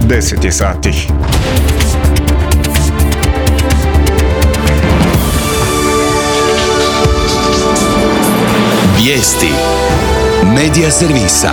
10 je sati. Vijesti Medija servisa.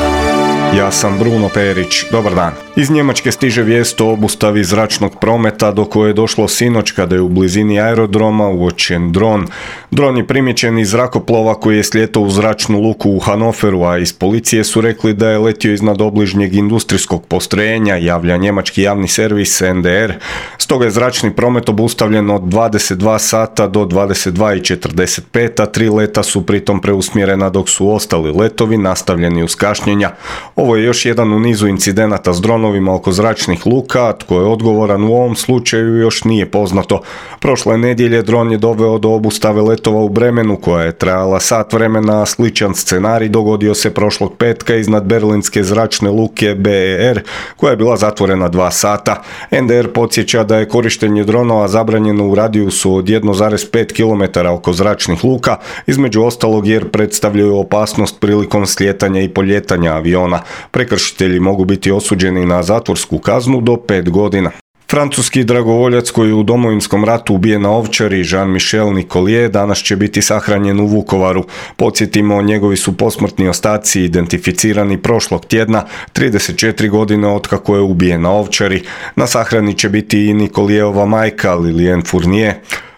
Ja sam Bruno Perić, dobar dan. Iz Njemačke stiže vijest o obustavi zračnog prometa do koje je došlo sinoć kada je u blizini aerodroma uočen dron. Dron je primijećen iz zrakoplova koji je slijetao u zračnu luku u Hanoveru, a iz policije su rekli da je letio iznad obližnjeg industrijskog postrojenja, javlja njemački javni servis NDR. Stoga je zračni promet obustavljen od 22 sata do 22:45, a 3 leta su pritom preusmjerena dok su ostali letovi nastavljeni uz kašnjenja. Ovo je još jedan u nizu incidenata s dronovima oko zračnih luka, a tko je odgovoran u ovom slučaju još nije poznato. Prošle nedjelje dron je doveo do obustave letova u Bremenu koja je trajala sat vremena, a sličan scenarij dogodio se prošlog petka iznad berlinske zračne luke BER koja je bila zatvorena 2 sata. NDR podsjeća da je korištenje dronova zabranjeno u radijusu od 1,5 km oko zračnih luka, između ostalog jer predstavljaju opasnost prilikom slijetanja i poljetanja aviona. Prekršitelji mogu biti osuđeni na zatvorsku kaznu do 5 godina. Francuski dragovoljac koji je u Domovinskom ratu ubijen na Ovčari, Jean-Michel Nicolier, danas će biti sahranjen u Vukovaru. Podsjetimo, njegovi su posmrtni ostaci identificirani prošlog tjedna, 34 godine otkako je ubijen na Ovčari. Na sahrani će biti i Nicolierova majka, Liliane Fournier.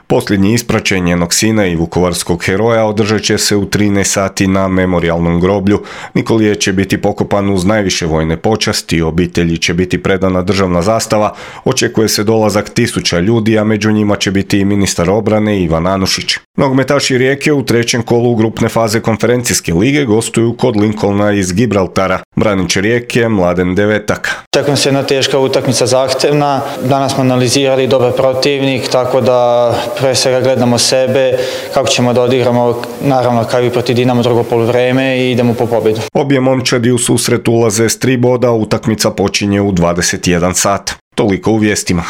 Posljednji ispraćaj njenog sina i vukovarskog heroja održat će se u 13 sati na memorijalnom groblju. Nicolier će biti pokopan uz najviše vojne počasti, obitelji će biti predana državna zastava, očekuje se dolazak 1000 ljudi, a među njima će biti i ministar obrane Ivan Anušić. Nogometaši Rijeke u trećem kolu grupne faze konferencijske lige gostuju kod Lincolna iz Gibraltara. Branič Rijeke Mladen Devetak. Tako se jedna teška utakmica zahtevna. Danas smo analizirali dobar protivnik, tako da pre svega gledamo sebe, kako ćemo da odigramo, naravno kao i protiv Dinamo drugo poluvreme i idemo po pobjedu. Obje momčadi u susret ulaze s 3 boda, utakmica počinje u 21 sat. Toliko u vijestima.